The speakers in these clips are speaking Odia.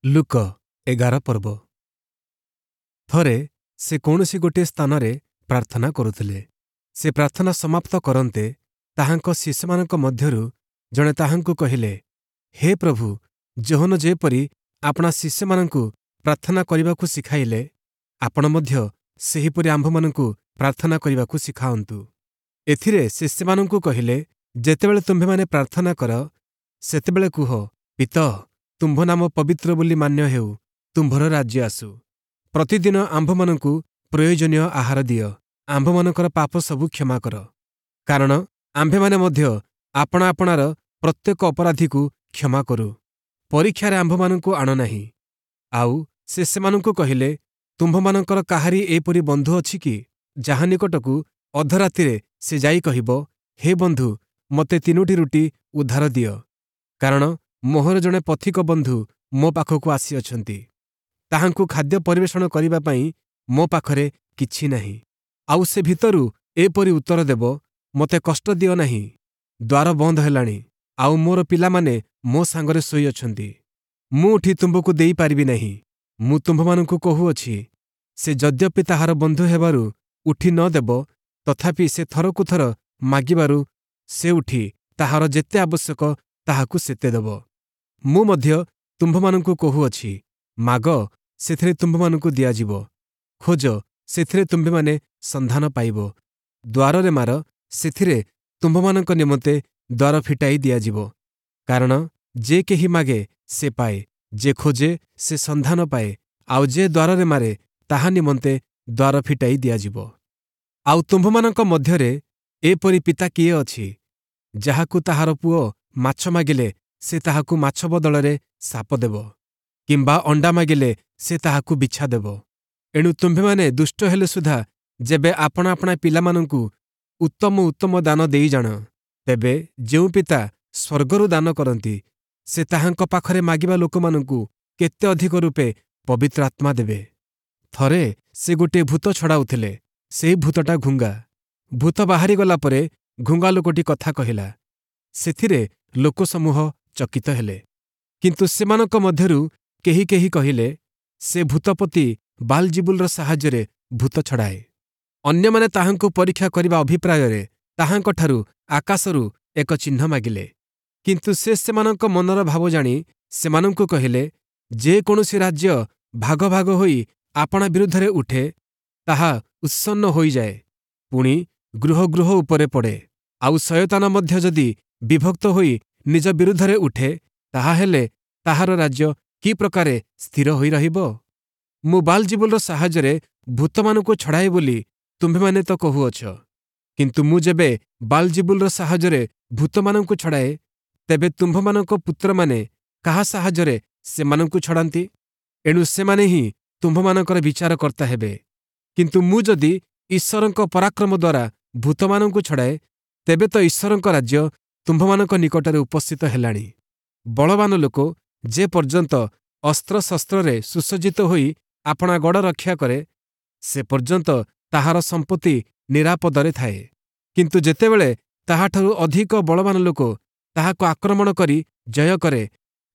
ଲୂକ 11 ପର୍ବ। ଥରେ ସେ କୌଣସି ଗୋଟିଏ ସ୍ଥାନରେ ପ୍ରାର୍ଥନା କରୁଥିଲେ। ସେ ପ୍ରାର୍ଥନା ସମାପ୍ତ କରନ୍ତେ ତାହାଙ୍କ ଶିଷ୍ୟମାନଙ୍କ ମଧ୍ୟରୁ ଜଣେ ତାହାଙ୍କୁ କହିଲେ, ହେ ପ୍ରଭୁ, ଯୋହନ ଯେପରି ଆପଣା ଶିଷ୍ୟମାନଙ୍କୁ ପ୍ରାର୍ଥନା କରିବାକୁ ଶିଖାଇଲେ, ଆପଣ ମଧ୍ୟ ସେହିପରି ଆମ୍ଭମାନଙ୍କୁ ପ୍ରାର୍ଥନା କରିବାକୁ ଶିଖାଅନ୍ତୁ। ଏଥିରେ ସେ ସେମାନଙ୍କୁ କହିଲେ, ଯେତେବେଳେ ତୁମ୍ଭେମାନେ ପ୍ରାର୍ଥନା କର, ସେତେବେଳେ କୁହ, ପିତଃ, ତୁମ୍ଭ ନାମ ପବିତ୍ର ବୋଲି ମାନ୍ୟ ହେଉ, ତୁମ୍ଭର ରାଜ୍ୟ ଆସୁ। ପ୍ରତିଦିନ ଆମ୍ଭମାନଙ୍କୁ ପ୍ରୟୋଜନୀୟ ଆହାର ଦିଅ। ଆମ୍ଭମାନଙ୍କର ପାପ ସବୁ କ୍ଷମା କର, କାରଣ ଆମ୍ଭେମାନେ ମଧ୍ୟ ଆପଣା ଆପଣାର ପ୍ରତ୍ୟେକ ଅପରାଧୀକୁ କ୍ଷମା କରୁ। ପରୀକ୍ଷାରେ ଆମ୍ଭମାନଙ୍କୁ ଆଣ ନାହିଁ। ଆଉ ସେ ସେମାନଙ୍କୁ କହିଲେ, ତୁମ୍ଭମାନଙ୍କର କାହାରି ଏପରି ବନ୍ଧୁ ଅଛି କି, ଯାହା ନିକଟକୁ ଅଧରାତିରେ ସେ ଯାଇ କହିବ, ହେ ବନ୍ଧୁ, ମୋତେ ତିନୋଟି ରୁଟି ଉଧାର ଦିଅ, କାରଣ ମୋହର ଜଣେ ପଥିକ ବନ୍ଧୁ ମୋ ପାଖକୁ ଆସିଅଛନ୍ତି, ତାହାଙ୍କୁ ଖାଦ୍ୟ ପରିବେଷଣ କରିବା ପାଇଁ ମୋ ପାଖରେ କିଛି ନାହିଁ। ଆଉ ସେ ଭିତରୁ ଏପରି ଉତ୍ତର ଦେବ, ମୋତେ କଷ୍ଟ ଦିଅ ନାହିଁ, ଦ୍ୱାର ବନ୍ଦ ହେଲାଣି, ଆଉ ମୋର ପିଲାମାନେ ମୋ ସାଙ୍ଗରେ ଶୋଇଅଛନ୍ତି, ମୁଁ ଉଠି ତୁମ୍ଭକୁ ଦେଇପାରିବି ନାହିଁ। ମୁଁ ତୁମ୍ଭମାନଙ୍କୁ କହୁଅଛି, ସେ ଯଦ୍ୟପି ତାହାର ବନ୍ଧୁ ହେବାରୁ ଉଠି ନ ଦେବ, ତଥାପି ସେ ଥରକୁ ଥର ମାଗିବାରୁ ସେ ଉଠି ତାହାର ଯେତେ ଆବଶ୍ୟକ ତାହାକୁ ସେତେ ଦେବ। ମୁଁ ମଧ୍ୟ ତୁମ୍ଭମାନଙ୍କୁ କହୁଅଛି, ମାଗ, ସେଥିରେ ତୁମ୍ଭମାନଙ୍କୁ ଦିଆଯିବ; ଖୋଜ, ସେଥିରେ ତୁମ୍ଭେମାନେ ସନ୍ଧାନ ପାଇବ; ଦ୍ୱାରରେ ମାର, ସେଥିରେ ତୁମ୍ଭମାନଙ୍କ ନିମନ୍ତେ ଦ୍ୱାର ଫିଟାଇ ଦିଆଯିବ। କାରଣ ଯେ କେହି ମାଗେ, ସେ ପାଏ; ଯେ ଖୋଜେ, ସେ ସନ୍ଧାନ ପାଏ; ଆଉ ଯେ ଦ୍ୱାରରେ ମାରେ, ତାହା ନିମନ୍ତେ ଦ୍ୱାର ଫିଟାଇ ଦିଆଯିବ। ଆଉ ତୁମ୍ଭମାନଙ୍କ ମଧ୍ୟରେ ଏପରି ପିତା କିଏ ଅଛି, ଯାହାକୁ ତାହାର ପୁଅ ମାଛ ମାଗିଲେ ସେ ତାହାକୁ ମାଛ ବଦଳରେ ସାପ ଦେବ, କିମ୍ବା ଅଣ୍ଡା ମାଗିଲେ ସେ ତାହାକୁ ବିଛା ଦେବ? ଏଣୁ ତୁମ୍ଭେମାନେ ଦୁଷ୍ଟ ହେଲେ ସୁଦ୍ଧା ଯେବେ ଆପଣା ଆପଣା ପିଲାମାନଙ୍କୁ ଉତ୍ତମ ଉତ୍ତମ ଦାନ ଦେଇ ଜାଣ, ତେବେ ଯେଉଁ ପିତା ସ୍ୱର୍ଗରୁ ଦାନ କରନ୍ତି, ସେ ତାହାଙ୍କ ପାଖରେ ମାଗିବା ଲୋକମାନଙ୍କୁ କେତେ ଅଧିକ ରୂପେ ପବିତ୍ର ଆତ୍ମା ଦେବେ। ଥରେ ସେ ଗୋଟିଏ ଭୂତ ଛଡ଼ାଉଥିଲେ। ସେହି ଭୂତଟା ଘୁଙ୍ଗା। ଭୂତ ବାହାରିଗଲା ପରେ ଘୁଙ୍ଗା ଲୋକଟି କଥା କହିଲା। ସେଥିରେ ଲୋକସମୂହ ଚକିତ ହେଲେ। କିନ୍ତୁ ସେମାନଙ୍କ ମଧ୍ୟରୁ କେହି କେହି କହିଲେ, ସେ ଭୂତପତି ବାଲ୍‌ଜିବୁଲର ସାହାଯ୍ୟରେ ଭୂତ ଛଡ଼ାଏ। ଅନ୍ୟମାନେ ତାହାଙ୍କୁ ପରୀକ୍ଷା କରିବା ଅଭିପ୍ରାୟରେ ତାହାଙ୍କଠାରୁ ଆକାଶରୁ ଏକ ଚିହ୍ନ ମାଗିଲେ। କିନ୍ତୁ ସେ ସେମାନଙ୍କ ମନର ଭାବ ଜାଣି ସେମାନଙ୍କୁ କହିଲେ, ଯେ କୌଣସି ରାଜ୍ୟ ଭାଗ ଭାଗ ହୋଇ ଆପଣା ବିରୁଦ୍ଧରେ ଉଠେ, ତାହା ଉତ୍ସନ୍ନ ହୋଇଯାଏ, ପୁଣି ଗୃହ ଗୃହ ଉପରେ ପଡ଼େ। ଆଉ ଶୟତାନ ମଧ୍ୟ ଯଦି ବିଭକ୍ତ ହୋଇ ନିଜ ବିରୁଦ୍ଧରେ ଉଠେ, ତାହାହେଲେ ତାହାର ରାଜ୍ୟ କି ପ୍ରକାରେ ସ୍ଥିର ହୋଇ ରହିବ? ମୁଁ ବାଲ୍‌ଜିବୁଲର ସାହାଯ୍ୟରେ ଭୂତମାନଙ୍କୁ ଛଡ଼ାଏ ବୋଲି ତୁମ୍ଭେମାନେ ତ କହୁଅଛ। କିନ୍ତୁ ମୁଁ ଯେବେ ବାଲ୍‌ଜିବୁଲର ସାହାଯ୍ୟରେ ଭୂତମାନଙ୍କୁ ଛଡ଼ାଏ, ତେବେ ତୁମ୍ଭମାନଙ୍କ ପୁତ୍ରମାନେ କାହା ସାହାଯ୍ୟରେ ସେମାନଙ୍କୁ ଛଡ଼ାନ୍ତି? ଏଣୁ ସେମାନେ ହିଁ ତୁମ୍ଭମାନଙ୍କର ବିଚାରକର୍ତ୍ତା ହେବେ। କିନ୍ତୁ ମୁଁ ଯଦି ଈଶ୍ୱରଙ୍କ ପରାକ୍ରମ ଦ୍ୱାରା ଭୂତମାନଙ୍କୁ ଛଡ଼ାଏ, ତେବେ ତ ଈଶ୍ୱରଙ୍କ ରାଜ୍ୟ ତୁମ୍ଭମାନଙ୍କ ନିକଟରେ ଉପସ୍ଥିତ ହେଲାଣି। ବଳବାନ ଲୋକ ଯେ ପର୍ଯ୍ୟନ୍ତ ଅସ୍ତ୍ରଶସ୍ତ୍ରରେ ସୁସଜ୍ଜିତ ହୋଇ ଆପଣା ଗଡ଼ ରକ୍ଷା କରେ, ସେ ପର୍ଯ୍ୟନ୍ତ ତାହାର ସମ୍ପତ୍ତି ନିରାପଦରେ ଥାଏ। କିନ୍ତୁ ଯେତେବେଳେ ତାହାଠାରୁ ଅଧିକ ବଳବାନ ଲୋକ ତାହାକୁ ଆକ୍ରମଣ କରି ଜୟ କରେ,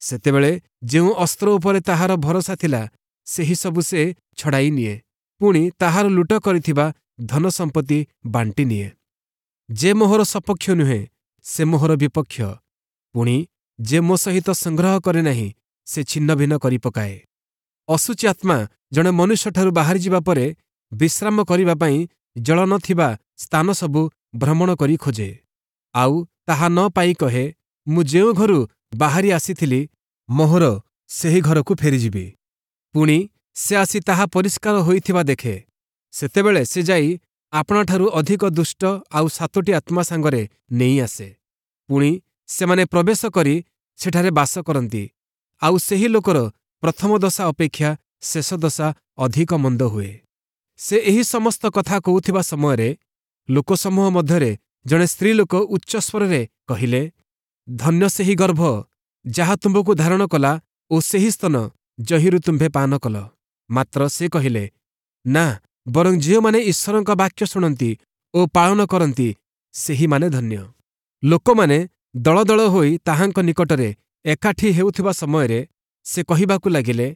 ସେତେବେଳେ ଯେଉଁ ଅସ୍ତ୍ର ଉପରେ ତାହାର ଭରସା ଥିଲା, ସେହି ସବୁ ସେ ଛଡ଼ାଇ ନିଏ, ପୁଣି ତାହାର ଲୁଟ କରିଥିବା ଧନ ସମ୍ପତ୍ତି ବାଣ୍ଟି ନିଏ। ଯେ ମୋହର ସପକ୍ଷ ନୁହେଁ, ସେ ମୋହର ବିପକ୍ଷ; ପୁଣି ଯେ ମୋ ସହିତ ସଂଗ୍ରହ କରେ ନାହିଁ, ସେ ଛିନ୍ନଭିନ୍ନ କରି ପକାଏ। ଅଶୁଚି ଆତ୍ମା ଜଣେ ମନୁଷ୍ୟଠାରୁ ବାହାରିଯିବା ପରେ ବିଶ୍ରାମ କରିବା ପାଇଁ ଜଳ ନ ଥିବା ସ୍ଥାନ ସବୁ ଭ୍ରମଣ କରି ଖୋଜେ, ଆଉ ତାହା ନ ପାଇ କହେ, ମୁଁ ଯେଉଁ ଘରୁ ବାହାରି ଆସିଥିଲି, ମୋହର ସେହି ଘରକୁ ଫେରିଯିବି। ପୁଣି ସେ ଆସି ତାହା ପରିଷ୍କାର ହୋଇଥିବା ଦେଖେ। ସେତେବେଳେ ସେ ଯାଇ ଆପଣାଠାରୁ ଅଧିକ ଦୁଷ୍ଟ ଆଉ ସାତୋଟି ଆତ୍ମା ସାଙ୍ଗରେ ନେଇ ଆସେ, ପୁଣି ସେମାନେ ପ୍ରବେଶ କରି ସେଠାରେ ବାସ କରନ୍ତି, ଆଉ ସେହି ଲୋକର ପ୍ରଥମ ଦଶା ଅପେକ୍ଷା ଶେଷ ଦଶା ଅଧିକ ମନ୍ଦ ହୁଏ। ସେ ଏହି ସମସ୍ତ କଥା କହୁଥିବା ସମୟରେ ଲୋକସମୂହ ମଧ୍ୟରେ ଜଣେ ସ୍ତ୍ରୀଲୋକ ଉଚ୍ଚସ୍ୱରରେ କହିଲେ, ଧନ୍ୟ ସେହି ଗର୍ଭ ଯାହା ତୁମ୍ଭକୁ ଧାରଣ କଲା ଓ ସେହି ସ୍ତନ ଯହିଁରୁ ତୁମ୍ଭେ ପାନ କଲ। ମାତ୍ର ସେ କହିଲେ, ନା, ବରଂ ଯେଉଁମାନେ ଈଶ୍ୱରଙ୍କ ବାକ୍ୟ ଶୁଣନ୍ତି ଓ ପାଳନ କରନ୍ତି, ସେହିମାନେ ଧନ୍ୟ। ଲୋକମାନେ ଦଳ ଦଳ ହୋଇ ତାହାଙ୍କ ନିକଟରେ ଏକାଠି ହେଉଥିବା ସମୟରେ ସେ କହିବାକୁ ଲାଗିଲେ,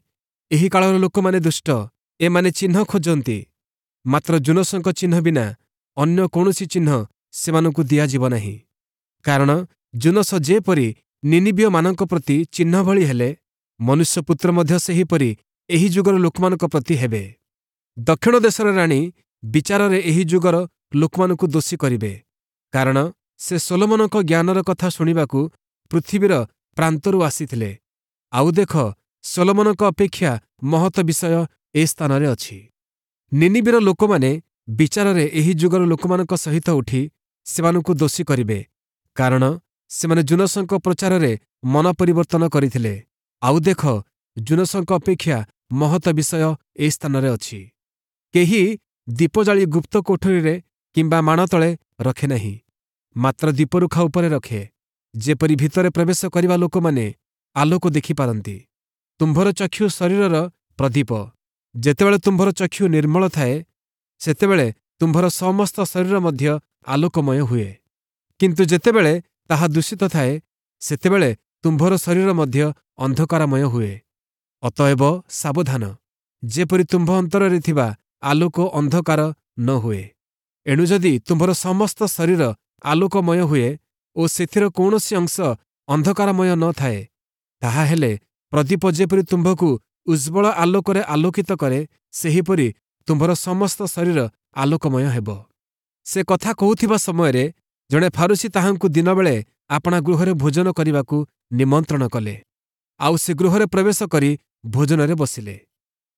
ଏହି କାଳର ଲୋକମାନେ ଦୁଷ୍ଟ, ଏମାନେ ଚିହ୍ନ ଖୋଜନ୍ତି, ମାତ୍ର ଯୂନସଙ୍କ ଚିହ୍ନ ବିନା ଅନ୍ୟ କୌଣସି ଚିହ୍ନ ସେମାନଙ୍କୁ ଦିଆଯିବ ନାହିଁ। କାରଣ ଯୂନସ ଯେପରି ନିନିବୀୟମାନଙ୍କ ପ୍ରତି ଚିହ୍ନ ଭଳି ହେଲେ, ମନୁଷ୍ୟପୁତ୍ର ମଧ୍ୟ ସେହିପରି ଏହି ଯୁଗର ଲୋକମାନଙ୍କ ପ୍ରତି ହେବେ। ଦକ୍ଷିଣ ଦେଶର ରାଣୀ ବିଚାରରେ ଏହି ଯୁଗର ଲୋକମାନଙ୍କୁ ଦୋଷୀ କରିବେ, କାରଣ ସେ ସୋଲୋମନଙ୍କ ଜ୍ଞାନର କଥା ଶୁଣିବାକୁ ପୃଥିବୀର ପ୍ରାନ୍ତରୁ ଆସିଥିଲେ। ଆଉ ଦେଖ, ସୋଲୋମନଙ୍କ ଅପେକ୍ଷା ମହତ ବିଷୟ ଏ ସ୍ଥାନରେ ଅଛି। ନିନିବୀର ଲୋକମାନେ ବିଚାରରେ ଏହି ଯୁଗର ଲୋକମାନଙ୍କ ସହିତ ଉଠି ସେମାନଙ୍କୁ ଦୋଷୀ କରିବେ, କାରଣ ସେମାନେ ଯୂନସଙ୍କ ପ୍ରଚାରରେ ମନ ପରିବର୍ତ୍ତନ କରିଥିଲେ। ଆଉ ଦେଖ, ଯୂନସଙ୍କ ଅପେକ୍ଷା ମହତ ବିଷୟ ଏ ସ୍ଥାନରେ ଅଛି। କେହି ଦୀପ ଜାଳି ଗୁପ୍ତ କୋଠରୀରେ କିମ୍ବା ମାଣ ତଳେ ରଖେ ନାହିଁ, ମାତ୍ର ଦୀପରୁଖା ଉପରେ ରଖେ, ଯେପରି ଭିତରେ ପ୍ରବେଶ କରିବା ଲୋକମାନେ ଆଲୋକ ଦେଖିପାରନ୍ତି। ତୁମ୍ଭର ଚକ୍ଷୁ ଶରୀରର ପ୍ରଦୀପ। ଯେତେବେଳେ ତୁମ୍ଭର ଚକ୍ଷୁ ନିର୍ମଳ ଥାଏ, ସେତେବେଳେ ତୁମ୍ଭର ସମସ୍ତ ଶରୀର ମଧ୍ୟ ଆଲୋକମୟ ହୁଏ। କିନ୍ତୁ ଯେତେବେଳେ ତାହା ଦୂଷିତ ଥାଏ, ସେତେବେଳେ ତୁମ୍ଭର ଶରୀର ମଧ୍ୟ ଅନ୍ଧକାରମୟ ହୁଏ। ଅତଏବ ସାବଧାନ, ଯେପରି ତୁମ୍ଭ ଅନ୍ତରରେ ଥିବା ଆଲୋକ ଅନ୍ଧକାର ନ ହୁଏ। ଏଣୁ ଯଦି ତୁମ୍ଭର ସମସ୍ତ ଶରୀର ଆଲୋକମୟ ହୁଏ ଓ ସେଥିର କୌଣସି ଅଂଶ ଅନ୍ଧକାରମୟ ନ ଥାଏ, ତାହାହେଲେ ପ୍ରଦୀପ ଯେପରି ତୁମ୍ଭକୁ ଉଜ୍ଜ୍ୱଳ ଆଲୋକରେ ଆଲୋକିତ କରେ, ସେହିପରି ତୁମ୍ଭର ସମସ୍ତ ଶରୀର ଆଲୋକମୟ ହେବ। ସେ କଥା କହୁଥିବା ସମୟରେ ଜଣେ ଫାରୁଶୀ ତାହାଙ୍କୁ ଦିନବେଳେ ଆପଣା ଗୃହରେ ଭୋଜନ କରିବାକୁ ନିମନ୍ତ୍ରଣ କଲେ। ଆଉ ସେ ଗୃହରେ ପ୍ରବେଶ କରି ଭୋଜନରେ ବସିଲେ।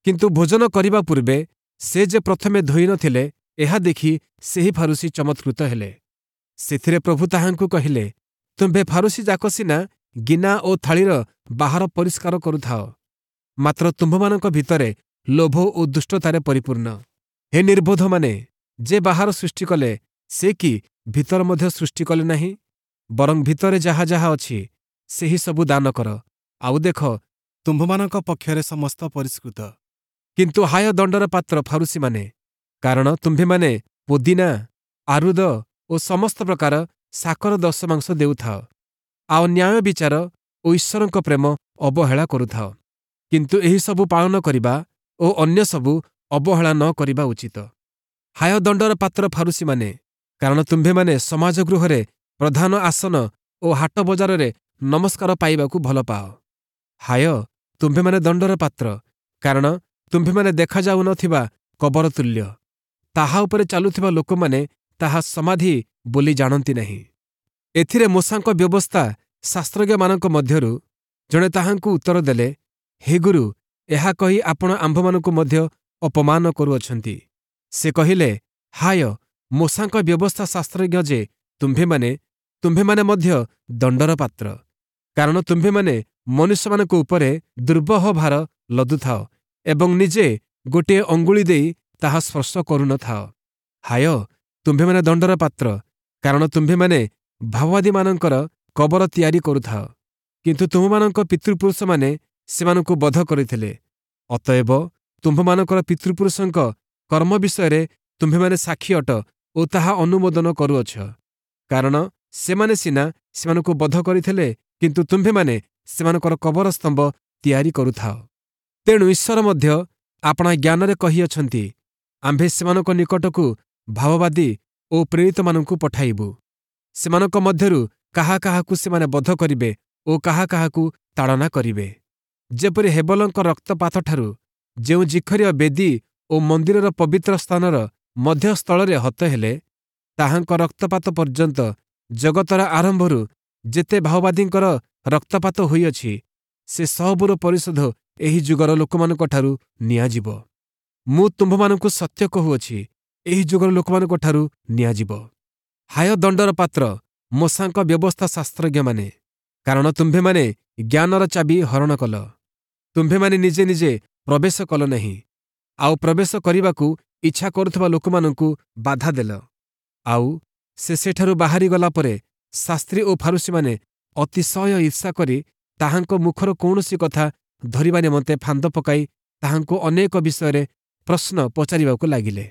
କିନ୍ତୁ ଭୋଜନ କରିବା ପୂର୍ବେ ସେ ଯେ ପ୍ରଥମେ ଧୋଇ ନଥିଲେ, ଏହା ଦେଖି ସେହି ଫାରୁଶୀ ଚମତ୍କୃତ ହେଲେ। ସେଥିରେ ପ୍ରଭୁ ତାହାଙ୍କୁ କହିଲେ, ତୁମ୍ଭେ ଫାରୁଶୀ ଯାକ ସିନା ଗିନା ଓ ଥାଳିର ବାହାର ପରିଷ୍କାର କରୁଥାଅ, ମାତ୍ର ତୁମ୍ଭମାନଙ୍କ ଭିତରେ ଲୋଭ ଓ ଦୁଷ୍ଟତାରେ ପରିପୂର୍ଣ୍ଣ। ହେ ନିର୍ବୋଧମାନେ, ଯେ ବାହାର ସୃଷ୍ଟି କଲେ, ସେ କି ଭିତର ମଧ୍ୟ ସୃଷ୍ଟି କଲେ ନାହିଁ? ବରଂ ଭିତରେ ଯାହା ଯାହା ଅଛି, ସେହି ସବୁ ଦାନ କର, ଆଉ ଦେଖ, ତୁମ୍ଭମାନଙ୍କ ପକ୍ଷରେ ସମସ୍ତ ପରିଷ୍କୃତ। କିନ୍ତୁ ହାୟ ଦଣ୍ଡର ପାତ୍ର ଫାରୁଶୀମାନେ, କାରଣ ତୁମ୍ଭେମାନେ ପୋଦିନା, ଆରୁଦ ଓ ସମସ୍ତ ପ୍ରକାର ଶାକର ଦଶମାଂଶ ଦେଉଥାଅ, ଆଉ ନ୍ୟାୟ ବିଚାର ଓ ଈଶ୍ୱରଙ୍କ ପ୍ରେମ ଅବହେଳା କରୁଥାଅ। କିନ୍ତୁ ଏହିସବୁ ପାଳନ କରିବା ଓ ଅନ୍ୟ ସବୁ ଅବହେଳା ନ କରିବା ଉଚିତ। ହାୟ ଦଣ୍ଡର ପାତ୍ର ଫାରୁଶୀମାନେ, କାରଣ ତୁମ୍ଭେମାନେ ସମାଜ ଗୃହରେ ପ୍ରଧାନ ଆସନ ଓ ହାଟ ବଜାରରେ ନମସ୍କାର ପାଇବାକୁ ଭଲ ପାଅ। ହାୟ, ତୁମ୍ଭେମାନେ ଦଣ୍ଡର ପାତ୍ର, କାରଣ ତୁମ୍ଭେମାନେ ଦେଖାଯାଉନଥିବା କବର ତୁଲ୍ୟ। ତାହା ଉପରେ ଚାଲୁଥିବା ଲୋକମାନେ ତାହା ସମାଧି ବୋଲି ଜାଣନ୍ତି ନାହିଁ। ଏଥିରେ ମୋଶାଙ୍କ ବ୍ୟବସ୍ଥା ଶାସ୍ତ୍ରଜ୍ଞମାନଙ୍କ ମଧ୍ୟରୁ ଜଣେ ତାହାଙ୍କୁ ଉତ୍ତର ଦେଲେ, ହେ ଗୁରୁ, ଏହା କହି ଆପଣ ଆମ୍ଭମାନଙ୍କୁ ମଧ୍ୟ ଅପମାନ କରୁଅଛନ୍ତି। ସେ କହିଲେ, ହାୟ, ମୋଶାଙ୍କ ବ୍ୟବସ୍ଥା ଶାସ୍ତ୍ରଜ୍ଞ ଯେ ତୁମ୍ଭେମାନେ, ତୁମ୍ଭେମାନେ ମଧ୍ୟ ଦଣ୍ଡର ପାତ୍ର, କାରଣ ତୁମ୍ଭେମାନେ ମନୁଷ୍ୟମାନଙ୍କ ଉପରେ ଦୁର୍ବହ ଭାର ଲଦୁଥାଅ ଏବଂ ନିଜେ ଗୋଟିଏ ଅଙ୍ଗୁଳି ଦେଇ ତାହା ସ୍ପର୍ଶ କରୁନଥାଅ। ହାୟ, ତୁମ୍ଭେମାନେ ଦଣ୍ଡର ପାତ୍ର, କାରଣ ତୁମ୍ଭେମାନେ ଭାବବାଦୀମାନଙ୍କର କବର ତିଆରି କରୁଥାଅ, କିନ୍ତୁ ତୁମ୍ଭମାନଙ୍କ ପିତୃପୁରୁଷମାନେ ସେମାନଙ୍କୁ ବଧ କରିଥିଲେ। ଅତଏବ ତୁମ୍ଭମାନଙ୍କର ପିତୃପୁରୁଷଙ୍କ କର୍ମ ବିଷୟରେ ତୁମ୍ଭେମାନେ ସାକ୍ଷୀ ଅଟ ଓ ତାହା ଅନୁମୋଦନ କରୁଅଛ, କାରଣ ସେମାନେ ସିନା ସେମାନଙ୍କୁ ବଧ କରିଥିଲେ, କିନ୍ତୁ ତୁମ୍ଭେମାନେ ସେମାନଙ୍କର କବର ସ୍ତମ୍ଭ ତିଆରି କରୁଥାଅ। ତେଣୁ ଈଶ୍ୱର ମଧ୍ୟ ଆପଣା ଜ୍ଞାନରେ କହିଅଛନ୍ତି, ଆମ୍ଭେ ସେମାନଙ୍କ ନିକଟକୁ ଭାବବାଦୀ ଓ ପ୍ରେରିତମାନଙ୍କୁ ପଠାଇବୁ। ସେମାନଙ୍କ ମଧ୍ୟରୁ କାହା କାହାକୁ ସେମାନେ ବଧ କରିବେ ଓ କାହା କାହାକୁ ତାଡ଼ନା କରିବେ। ଯେପରି ହେବଲଙ୍କ ରକ୍ତପାତଠାରୁ, ଯେଉଁ ଜିଖରୀୟ ବେଦୀ ଓ ମନ୍ଦିରର ପବିତ୍ର ସ୍ଥାନର ମଧ୍ୟସ୍ଥଳରେ ହତ ହେଲେ, ତାହାଙ୍କ ରକ୍ତପାତ ପର୍ଯ୍ୟନ୍ତ ଜଗତର ଆରମ୍ଭରୁ ଯେତେ ଭାଓବାଦୀଙ୍କର ରକ୍ତପାତ ହୋଇଅଛି, ସେ ସବୁର ପରିଶୋଧ ଏହି ଯୁଗର ଲୋକମାନଙ୍କଠାରୁ ନିଆଯିବ। ମୁଁ ତୁମ୍ଭମାନଙ୍କୁ ସତ୍ୟ କହୁଅଛି, ଏହି ଯୁଗର ଲୋକମାନଙ୍କଠାରୁ ନିଆଯିବ। ହାୟ ଦଣ୍ଡର ପାତ୍ର ମୋଶାଙ୍କ ବ୍ୟବସ୍ଥା ଶାସ୍ତ୍ରଜ୍ଞମାନେ, କାରଣ ତୁମ୍ଭେମାନେ ଜ୍ଞାନର ଚାବି ହରଣ କଲ। ତୁମ୍ଭେମାନେ ନିଜେ ନିଜେ ପ୍ରବେଶ କଲ ନାହିଁ, ଆଉ ପ୍ରବେଶ କରିବାକୁ ଇଚ୍ଛା କରୁଥିବା ଲୋକମାନଙ୍କୁ ବାଧା ଦେଲ। ଆଉ ସେ ସେଠାରୁ ବାହାରିଗଲା ପରେ ଶାସ୍ତ୍ରୀ ଓ ଫାରୁଶୀମାନେ ଅତିଶୟ ଈର୍ଷା କରି ତାହାଙ୍କ ମୁଖର କୌଣସି କଥା ଧରିବା ନିମନ୍ତେ ଫାନ୍ଦ ପକାଇ ତାହାଙ୍କୁ ଅନେକ ବିଷୟରେ ପ୍ରଶ୍ନ ପଚାରିବାକୁ ଲାଗିଲେ।